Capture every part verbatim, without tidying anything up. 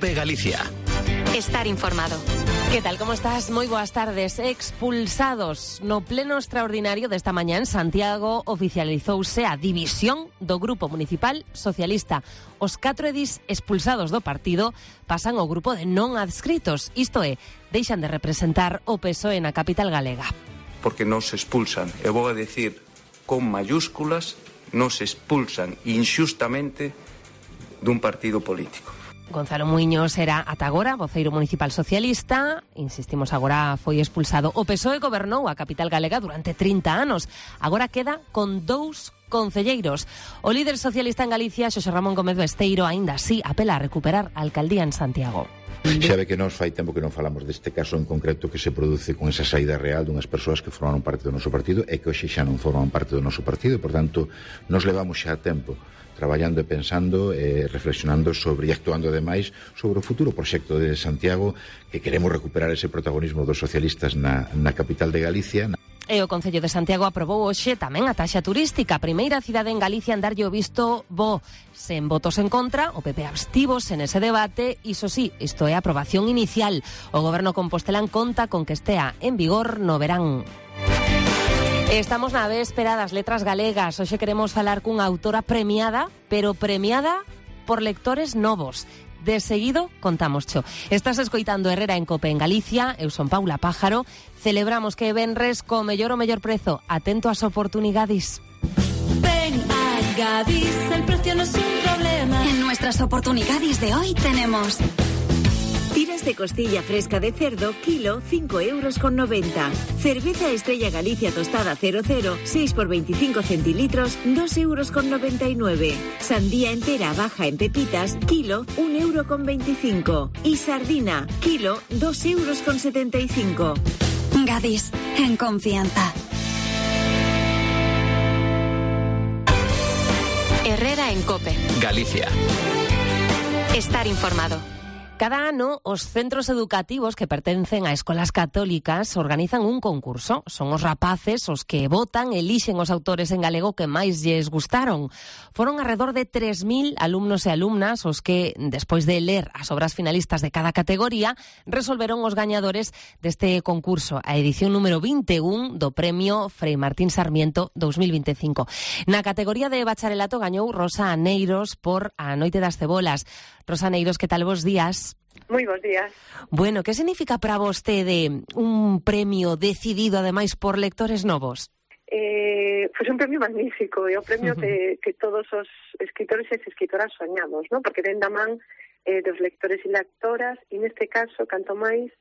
COPE Galicia. Estar informado. Que tal, como estás? Moi boas tardes. Expulsados. No pleno extraordinario desta mañá en Santiago oficializouse a división do Grupo Municipal Socialista. Os catro edís expulsados do partido pasan ao grupo de non adscritos. Isto é, deixan de representar o P S O E na capital galega. Porque nos expulsan, e vou a decir con mayúsculas, nos expulsan inxustamente dun partido político. Gonzalo Muiños era ata agora voceiro municipal socialista. Insistimos, agora foi expulsado. O P S O E gobernou a capital galega durante trinta anos. Agora queda con dous concelleiros. O líder socialista en Galicia, Xosé Ramón Gómez Besteiro, aínda así apela a recuperar a alcaldía en Santiago. Xa ve que nós fai tempo que non falamos deste caso en concreto que se produce con esa saída real dunhas persoas que formaron parte do noso partido e que hoxe xa non forman parte do noso partido, e, por tanto, nos levamos xa tempo traballando e pensando, eh, reflexionando sobre e actuando ademais sobre o futuro proxecto de Santiago, que queremos recuperar ese protagonismo dos socialistas na, na capital de Galicia. E o Concello de Santiago aprobou hoxe tamén a taxa turística. A primeira cidade en Galicia en darlle o visto bo. Sen votos en contra, o P P abstivos en ese debate. Iso sí, isto é a aprobación inicial. O goberno compostelán conta con que estea en vigor no verán. Estamos na véspera das letras galegas. Hoxe queremos falar cunha autora premiada, pero premiada por lectores novos. De seguido contamos cho. Estás escoitando Herrera en Cope en Galicia. Eu son Paula Pájaro. Celebramos que venres co mellor o mellor prezo. Atento ás oportunidades. Ven a Gadis, el precio no es un problema. En nuestras oportunidades de hoy tenemos tiras de costilla fresca de cerdo, kilo, cinco euros con noventa. Cerveza Estrella Galicia tostada cero cero, seis por veinticinco centilitros, dos euros con noventa y nueve. Sandía entera baja en pepitas, kilo, un euro con veinticinco. Y sardina, kilo, dos euros con setenta y cinco. Gadis, en confianza. Herrera en Cope Galicia. Estar informado. Cada ano, os centros educativos que pertencen a escolas católicas organizan un concurso. Son os rapaces os que votan, elixen os autores en galego que máis lles gustaron. Foron alrededor de tres mil alumnos e alumnas os que, despois de ler as obras finalistas de cada categoría, resolveron os gañadores deste concurso, a edición número vinte e un do Premio Frei Martín Sarmiento dos mil veinticinco. Na categoría de bacharelato gañou Rosa Aneiros por A Noite das Cebolas. Rosa Aneiros, que tal, bons días? Moi bons días. Bueno, que significa para vostede un premio decidido, ademais, por lectores novos? Eh, pois pues un premio magnífico, é o premio uh-huh. que, que todos os escritores e escritoras soñamos, ¿no? Porque ven da man eh, dos lectores e lectoras, e neste caso, canto máis,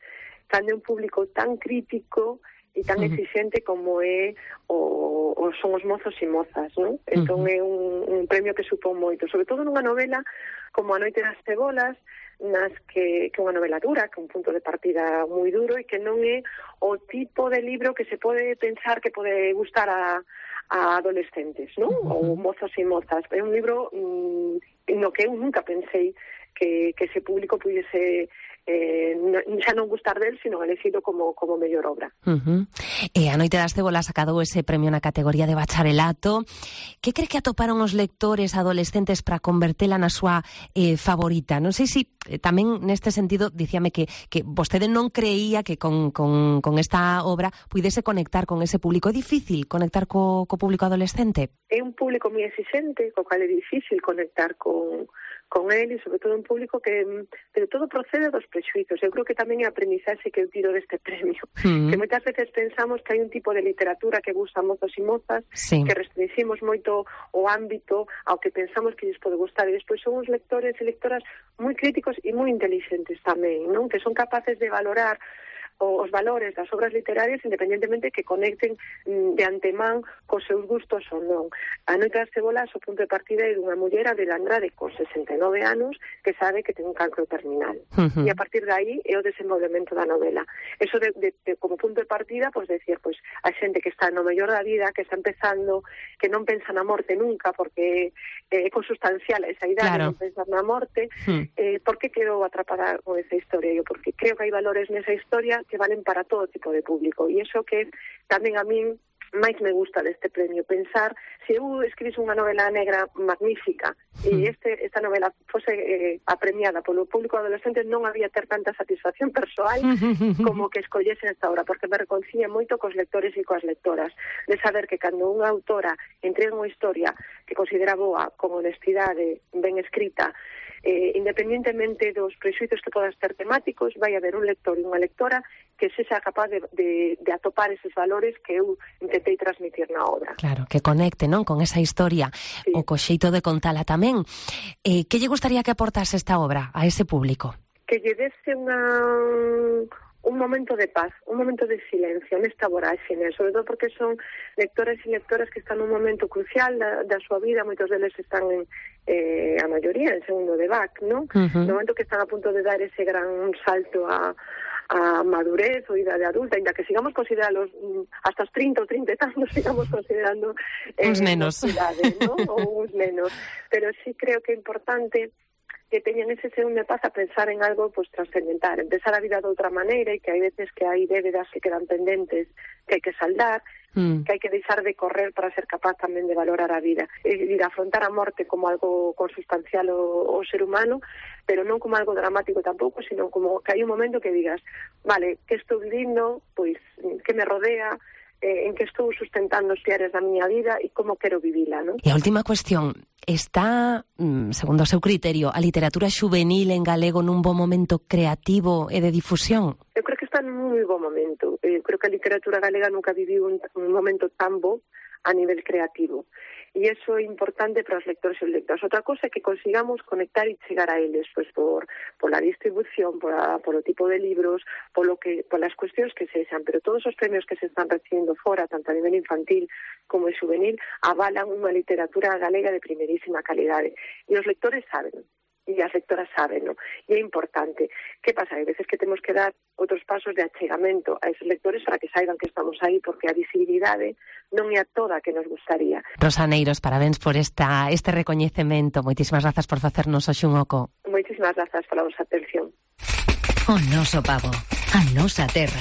cando é un público tan crítico e tan uh-huh. exigente como é o, o son os mozos e mozas, ¿no? Uh-huh. Entón é un, un premio que supón moito, sobre todo nunha novela como A Noite das Cebolas, nas que, que unha novela dura, que é un punto de partida moi duro e que non é o tipo de libro que se pode pensar que pode gustar a, a adolescentes, non? Uh-huh. Ou mozos e mozas. É un libro mmm, no que eu nunca pensei que, que ese público pudiese eh, xa non gustar del, sino elegido como, como mellor obra. Uh-huh. E A Noite das Cebolas sacado ese premio na categoría de bacharelato. Que cree que atoparon os lectores adolescentes para convertela na súa eh, favorita? Non sei se eh, tamén neste sentido dicíame que, que vostede non creía que con, con, con esta obra puidese conectar con ese público. É difícil conectar co, co público adolescente? É un público moi exigente, co cal é difícil conectar con con ele, e sobre todo un público que, pero todo procede dos prexuizos. Eu creo que tamén é a aprendizaxe que eu tiro deste premio, uh-huh. que moitas veces pensamos que hai un tipo de literatura que gusta a mozos e mozas, sí. que restringimos moito o ámbito ao que pensamos que lles pode gustar, e despois son os lectores e lectoras moi críticos e moi inteligentes tamén, non? Que son capaces de valorar os valores das obras literarias independentemente que conecten de antemán cos seus gustos ou non. A Noite das Cebolas, o punto de partida é dunha muller adelandrada con sesenta e nove anos que sabe que ten un cancro terminal. Uh-huh. E a partir de aí é o desenvolvemento da novela. Eso de, de, de, como punto de partida, pois decir, pois a xente que está no mellor da vida, que está empezando, que non pensa na morte nunca porque é consustancial a esa idade, claro. Non pensar na morte, uh-huh. eh, por que quedou atrapada con esa historia? Eu porque creo que hai valores nesa historia que valen para todo tipo de público, e iso que tamén a min máis me gusta deste premio, pensar se eu escribise unha novela negra magnífica e este, esta novela fose eh, apremiada polo público adolescente, non había ter tanta satisfacción persoal como que escollese esta obra, porque me reconcilia moito cos lectores e coas lectoras, de saber que cando unha autora entrega unha historia que considera boa, con honestidade, ben escrita, Eh, independentemente dos prexuizos que podas ter temáticos, vai haber un lector e unha lectora que se sea capaz de, de, de atopar eses valores que eu intentei transmitir na obra. Claro, que conecte, non, con esa historia, sí. O co xeito de contala tamén. Eh, que lle gustaría que aportase esta obra a ese público? Que lle dese unha... un momento de paz, un momento de silencio nesta voráxine, sobre todo porque son lectores e lectoras que están nun momento crucial da, da súa vida, moitos deles están en, eh, a maioría en segundo de B A C, non? Uh-huh. No momento que están a punto de dar ese gran salto a, a madurez ou idade adulta, ainda que sigamos considerándolos hasta os trinta ou trinta e tantos, sigamos considerando eh, uns nenos, idade, ¿no? Ou uns nenos, pero sí creo que é importante que teñan ese segundo de paz a pensar en algo pues trascendental, empezar a vida de outra maneira, e que hai veces que hai débedas que quedan pendentes que hai que saldar, mm. que hai que deixar de correr para ser capaz tamén de valorar a vida, e de afrontar a morte como algo consustancial ao, ao ser humano, pero non como algo dramático tampouco, sino como que hai un momento que digas, vale, que estou vivindo, pois que me rodea, eh, en que estou sustentando os piares da miña vida e como quero vivila, non? E a última cuestión, está, segundo o seu criterio, a literatura xuvenil en galego nun bo momento creativo e de difusión? Eu creo que está nun moi bo momento. Eu creo que a literatura galega nunca viviu un, un momento tan bo a nivel creativo. E iso é importante para os lectores e os lectores. Outra cosa é que consigamos conectar e chegar a eles, pois por, por la distribución, por, a, por o tipo de libros, por lo que, por las cuestións que sexan, pero todos os premios que se están recibindo fora, tanto a nivel infantil como juvenil, avalan unha literatura galega de primerísima calidade. E os lectores saben, e as lectoras saben, ¿no? E é importante. Que pasa? Hai veces que temos que dar outros pasos de achegamento a esos lectores para que saiban que estamos aí, porque a visibilidade non é a toda que nos gustaría. Rosa Neiros, parabéns por esta este recoñecemento. Moitísimas grazas por facernos hoxe un oco. Moitísimas grazas pola vosa atención. O noso pavo, a nosa terra.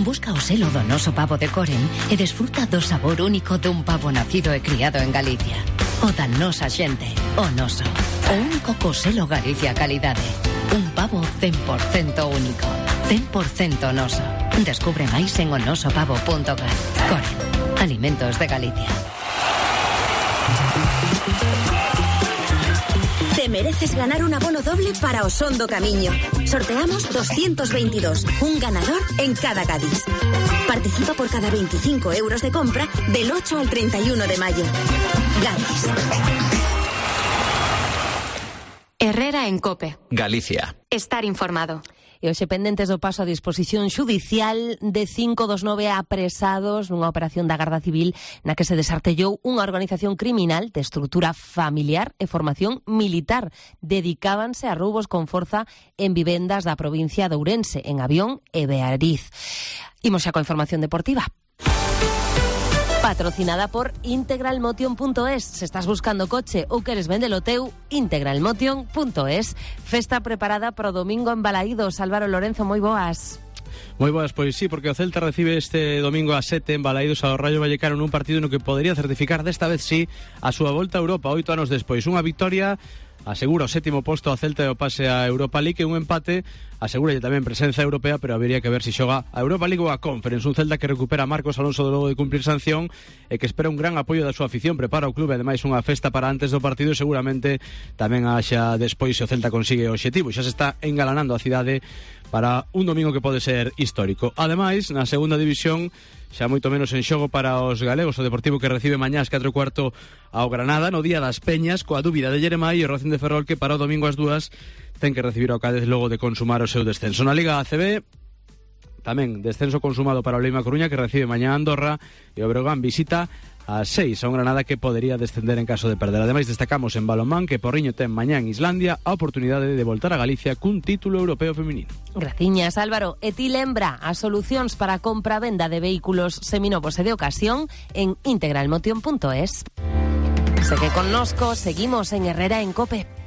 Busca o selo do noso pavo de Coren e desfruta do sabor único dun pavo nacido e criado en Galicia. O da nosa xente, o noso. O único co selo Galicia Calidade. Un pavo cen por cento único, cen por cento noso. Descubre máis en onosopavo punto gal. Coren, alimentos de Galicia. Te mereces ganar un abono doble para o Son do Camiño. Sorteamos doscientos veintidós, un ganador en cada Cádiz. Participa por cada veinticinco euros de compra del ocho al treinta y uno de mayo. Cádiz. Herrera en COPE. Galicia. Estar informado. E hoxe pendentes do paso a disposición xudicial de cinco dos nove apresados nunha operación da Garda Civil na que se desartellou unha organización criminal de estrutura familiar e formación militar. Dedicábanse a roubos con forza en vivendas da provincia de Ourense, en Avión e Beariz. Imos xa coa información deportiva. Patrocinada por integralmotion punto es. Se estás buscando coche ou queres vendelo teu, integralmotion punto es. Festa preparada para o domingo en Balaídos. Álvaro Lorenzo, moi boas. Moi boas, pois sí, porque o Celta recibe este domingo a sete en Balaídos ao Rayo Vallecano nun partido no que podería certificar desta vez sí a súa volta a Europa oito anos despois. Unha victoria asegura o sétimo posto a Celta e o pase a Europa League, e un empate asegura tamén presenza europea, pero habería que ver se si xoga a Europa League ou a Conference. Un Celta que recupera a Marcos Alonso de logo de cumplir sanción e que espera un gran apoio da súa afición. Prepara o clube ademais unha festa para antes do partido e seguramente tamén haxa despois se o Celta consigue o obxectivo. Xa se está engalanando a cidade para un domingo que pode ser histórico. Ademais, na segunda división, xa moito menos en xogo para os galegos, o Deportivo que recibe mañá ás catro e cuarto ao Granada, no Día das Peñas, coa dúbida de Jeremai, e o Racing de Ferrol que para o domingo ás dúas ten que recibir ao Cádiz logo de consumar o seu descenso. Na Liga A C B, tamén descenso consumado para o Leima Coruña, que recibe mañá a Andorra, e o Breogán visita a seis a un Granada que podería descender en caso de perder. Ademais, destacamos en balonmán que Porriño ten mañá en Islandia a oportunidade de voltar a Galicia cun título europeo feminino. Graciñas, Álvaro. E ti lembra as solucións para a compra-venda de vehículos seminovos e de ocasión en integralmotion punto es. Segue connosco, seguimos en Herrera en COPE.